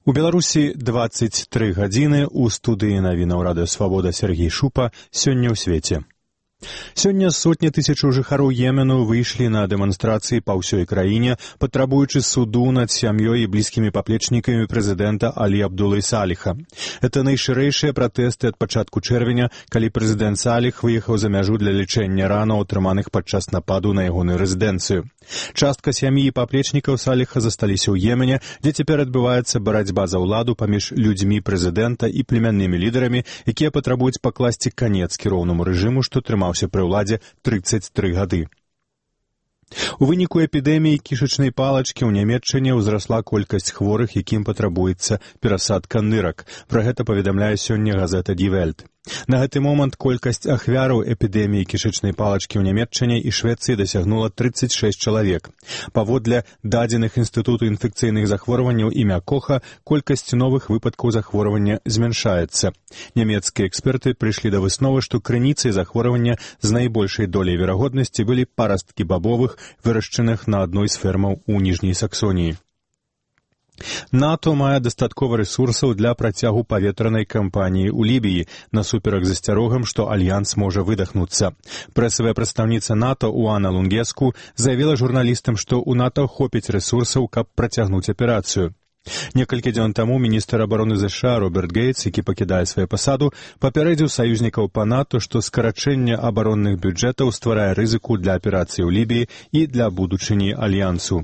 У Беларусі 23 гадзіны, у студыі навінаў Радыё Свабода Сергей Шупа, сёння ў свеце. Сёння сотні тысячаў жыхароў Йемену выйшлі на дэманстрацыі па ўсёй краіне, патрабуючы суду над сям'ёй і блізкімі паплечнікамі прэзідэнта Алі Абдулы Саліха. Это найшырэйшыя пратэсты ад пачатку чэрвеня, калі прэзідэнт Саліх выехаў за мяжу для лячэння ранаў, атрыманых падчас нападу на ягоную рэзідэнцыю. Частка сям'і і паплечнікаў Саліха засталіся ў Йемене, дзе цяпер адбываецца барацьба за ўладу паміж людзьмі прэзідэнта і племяннымі лідарамі, якія патрабуюць пакласці канец кіроўнаму рэжыму, што трымаўся пры ўладзе 33 гады. У выніку эпідэміі кішачнай палачкі ў Нямецчыне ўзрасла колькасць хворых, якім патрабуецца перасадка нырак. Пра гэта паведамляе сёння газета Die Welt. На гэты момант колькасць ахвяраў эпідэміі кішачнай палачкі ў Нямецчыне і Швецыі дасягнула 36 чалавек. Паводле дадзеных Інстытуту інфекцыйных захворванняў імя Коха, колькасць новых выпадкаў захворвання змяншаецца. Нямецкія эксперты прыйшлі да высновы, што крыніцай захворвання з найбольшай доляй верагоднасці былі парасткі бабовых, вырашчаных на адной з фермаў у Ніжняй Саксоніі. НАТО мае дастаткова рэсурсаў для працягу паветранай кампаніі ў Лібіі, насуперак засцярогам, што альянс можа выдахнуцца. Прэсавая прадстаўніца НАТО Уана Лунгеску заявіла журналістам, што ў НАТО хопіць рэсурсаў, каб працягнуць аперацыю. Некалькі дзён таму міністр абароны ЗША Роберт Гейтс, які пакідае сваю пасаду, папярэдзіў саюзнікаў па НАТО, што скарачэнне абаронных бюджэтаў стварае рызыку для аперацыі ў Лібіі і для будучыні альянсу.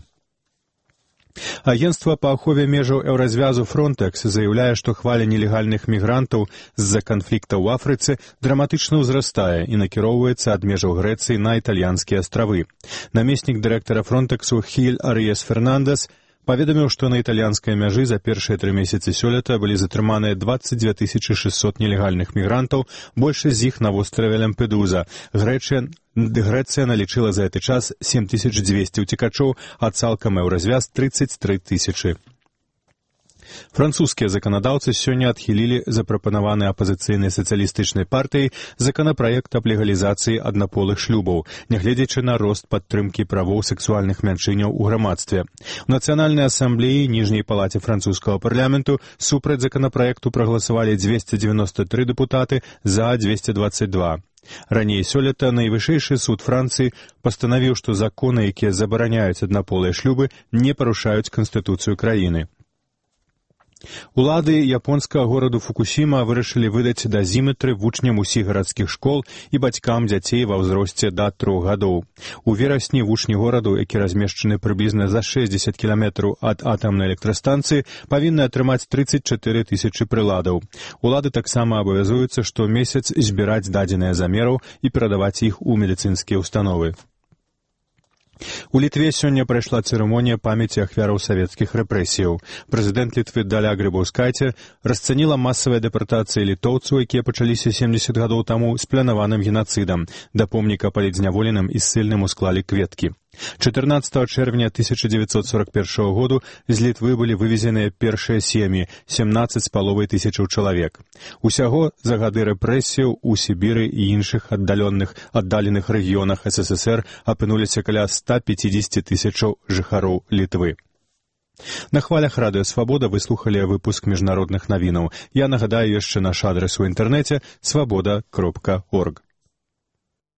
Агенцтва па ахове межаў Еўразвязу Frontex заяўляе, што хваля нелегальных мігрантаў з-за канфлікта ў Афрыцы драматычна ўзрастае і накіроўваецца ад межаў Грэцыі на італьянскія астравы. Намеснік дырэктара Frontexу Хіль Арыес Фернандес паведаміў, што на італьянскай мяжы за першыя 3 месяцы сёлета былі затрыманыя 22 600 нелегальных мігрантаў, большасць з іх на востраве Лямпедуза. Грэцыя налічыла за гэты час 7200 уцекачоў, а цалкам Еўразвяз 33 000. Французскія заканадаўцы сёння адхілілі запрапанаваны апазіцыйнай сацыялістычнай партыяй законапраект аб легалізацыі аднаполых шлюбаў, нягледзячы на рост падтрымкі правоў сэксуальных мяншыняў у грамадстве. У Нацыянальнай асамблеі ніжняй палаце французскага парламенту супраць законапраекту прагаласавалі 293 дэпутаты, за 222. Раней сёлета найвышэйшы суд Францыі пастанавіў, што законы, якія забараняюць аднаполыя шлюбы, не парушаюць канстытуцыю краіны. Улады японскага гораду Фукусіма вырашылі выдаць дазіметры вучням усіх гарадскіх школ і бацькам дзяцей ва ўзросце да 3 гадоў. У верасні вучні гораду, які размешчаны прыблізна за 60 кіламетраў ад атамнай электрастанцыі, павінны атрымаць 34 000 прыладаў. Улады таксама абавязуюцца штомесяц збіраць дадзеныя замераў і перадаваць іх у медыцынскія ўстановы. У Літве сёння прайшла цырымонія памяці ахвяраў савецкіх рэпрэсіяў. Прэзідэнт Літвы Даля Грыбаўскайце расцаніла масавыя дэпартацыі літоўцаў, якія пачаліся 70 гадоў таму з планаваным генацыдам. Да помніка палітзняволеным і ссыльным усклалі кветкі. 14 чэрвеня 1941 году з Літвы былі вывезеныя першыя сем'і, 17,5 тысячаў чалавек. Усяго за гады рэпрэсіяў у Сібіры і іншых аддаленых рэгіёнах СССР апынуліся каля 150 000 жыхароў Літвы. На хвалях Радыё Свабода вы слухалі выпуск міжнародных навінаў. Я нагадаю яшчэ наш адрес у інтэрнэце свабода.орг.